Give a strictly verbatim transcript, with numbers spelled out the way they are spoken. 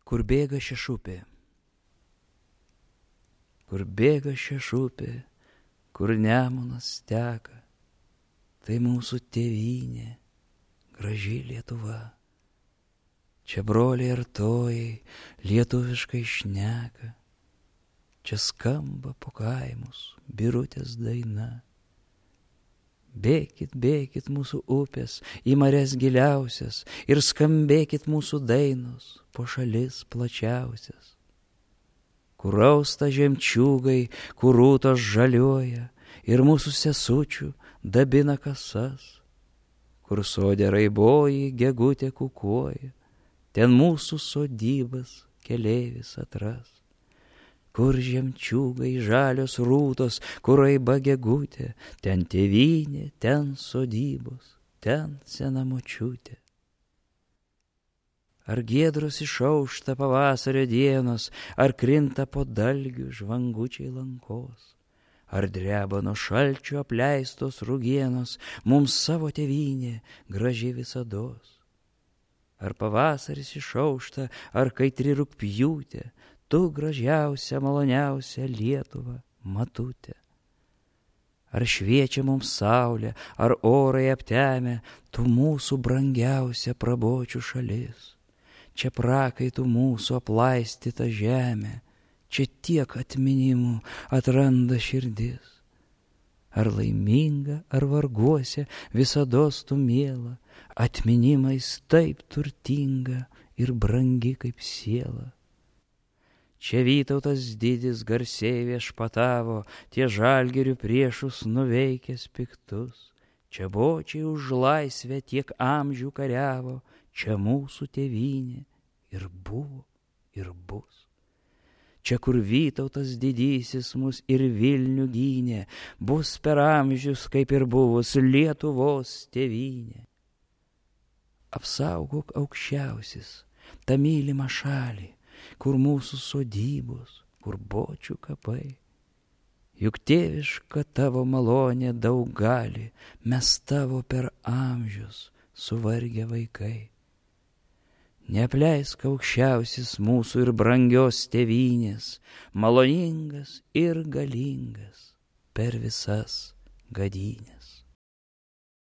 Kur bėga šešupė, kur bėga šešupė, kur Nemunas teka, tai mūsų tėvynė, graži Lietuva. Čia broliai artojai lietuviškai šneka, čia skamba po kaimus birutės daina. Bėkit, bėkit mūsų upės į marias giliausias ir skambėkit mūsų dainos po šalis plačiausias. Kur austa žemčiūgai, kur rūtos žaliuoja ir mūsų sesučių dabina kasas. Kur sodė raiboji gegutė kukuoja, ten mūsų sodybas keleivis atras. Kur žemčiūgai žalios rūtos, kur raiba gegutė, ten tėvynė, ten sodybos, ten sena močiutė. Ar giedros išaušta pavasario dienos, ar krinta po dalgių žvangučiai lankos, ar dreba nuo šalčio apleistos rugienos, mums savo tėvynė graži visados. Ar pavasaris išaušta, ar kaitri rugpjūtė, tu gražiausia, maloniausia Lietuva, matutė. Ar šviečia mums saulė, ar orai aptemę, tu mūsų brangiausia prabočių šalis. Čia prakaitų mūsų aplaistyta žemė, čia tiek atminimų atranda širdis. Ar laiminga, ar varguose, visados tu miela, atminimais taip turtinga ir brangi kaip siela. Čia Vytautas didis garsiai viešpatavo, tie žalgirių priešus nuveikęs piktus. Čia bočiai už laisvę tiek amžių kariavo, čia mūsų tėvynė ir buvo, ir bus. Čia, kur Vytautas didysis mus ir Vilnių gynė, bus per amžius, kaip ir buvus Lietuvos tėvynė. Apsaugok aukščiausis tą mylimą šalį, kur mūsų sodybos, kur bočių kapai. Juk tėviška tavo malonė daug gali, mes tavo per amžius suvargę vaikai. Neapleisk aukščiausias mūsų ir brangios tėvynės, maloningas ir galingas per visas gadynės.